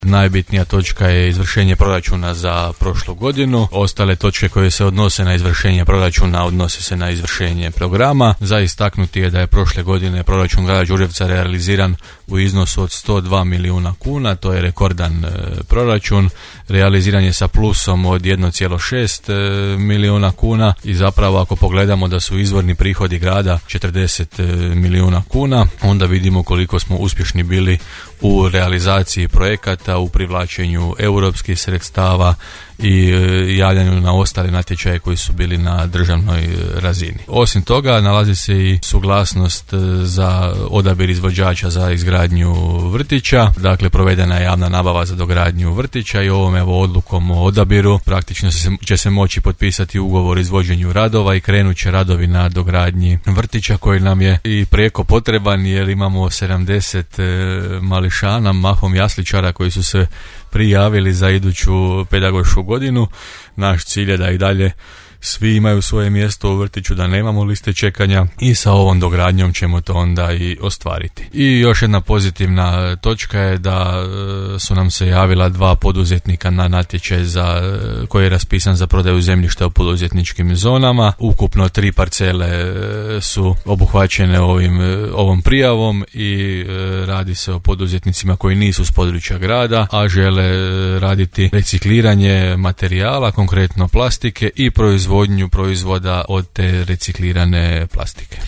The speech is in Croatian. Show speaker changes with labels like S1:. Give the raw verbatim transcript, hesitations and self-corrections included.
S1: Najbitnija točka je izvršenje proračuna za prošlu godinu. Ostale točke koje se odnose na izvršenje proračuna odnose se na izvršenje programa. Za istaknuti je da je prošle godine proračun grada Đurđevca realiziran u iznosu od sto dva milijuna kuna, to je rekordan e, proračun. Realiziran je sa plusom od jedan zarez šest e, milijuna kuna i zapravo ako pogledamo da su izvorni prihodi grada četrdeset e, milijuna kuna, onda vidimo koliko smo uspješni bili u realizaciji projekata, u privlačenju europskih sredstava i javljanju na ostale natječaje koji su bili na državnoj razini. Osim toga, nalazi se i suglasnost za odabir izvođača za izgradnju vrtića. Dakle, provedena je javna nabava za dogradnju vrtića i ovom evo odlukom o odabiru praktično se, će se moći potpisati ugovor o izvođenju radova i krenut će radovi na dogradnji vrtića koji nam je i prijeko potreban jer imamo sedamdeset mališana, mahom jasličara koji su se prijavili za iduću pedagošku godinu. Naš cilj je da i dalje svi imaju svoje mjesto u vrtiću, da nemamo liste čekanja i sa ovom dogradnjom ćemo to onda i ostvariti. I još jedna pozitivna točka je da su nam se javila dva poduzetnika na natječaj za, koji je raspisan za prodaju zemljišta u poduzetničkim zonama. Ukupno tri parcele su obuhvaćene ovim, ovom prijavom i radi se o poduzetnicima koji nisu s područja grada, a žele raditi recikliranje materijala, konkretno plastike i proizvodnju proizvoda od te reciklirane plastike.